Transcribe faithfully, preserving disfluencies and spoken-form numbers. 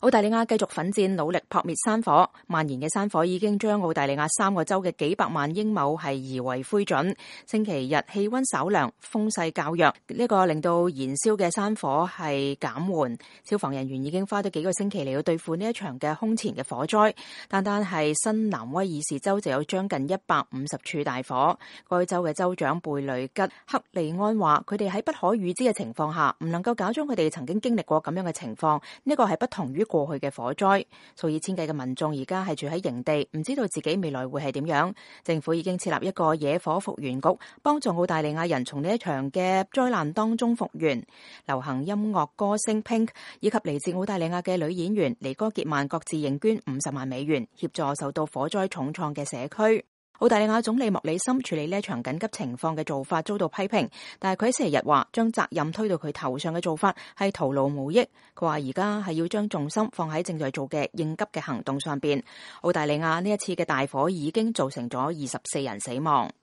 澳大利亞繼續奮戰，努力撲滅山火。蔓延嘅山火已經將澳大利亞三個州嘅幾百萬英畝係夷為灰燼。星期日氣溫稍涼，風勢較弱，呢個令到燃燒嘅山火係減緩。消防人員已經花咗幾個星期嚟到對付呢一場嘅空前嘅火災。單單係新南威爾士州就有將近一百五十處大火。該州嘅州長貝雷吉克利安話：佢哋喺不可預知嘅情況下，唔能夠假裝佢哋曾經經歷過咁樣嘅情況。呢個係不同於過去嘅火災，數以千計嘅民眾而家係住喺營地，唔知道自己未來會係點樣。政府已經設立一個野火復原局，幫助澳大利亞人從呢一場嘅災難當中復原。流行音樂歌星 Pink 以及嚟自澳大利亞嘅女演員尼哥傑曼各自認捐五十萬美元，協助受到火災重創嘅社區。澳大利亞總理莫里森處理呢一場緊急情況嘅做法遭到批評，但係佢喺星期日話將責任推到佢頭上嘅做法係徒勞無益。佢話而家係要將重心放喺正在做嘅應急嘅行動上邊。澳大利亞呢一次嘅大火已經造成咗二十四人死亡。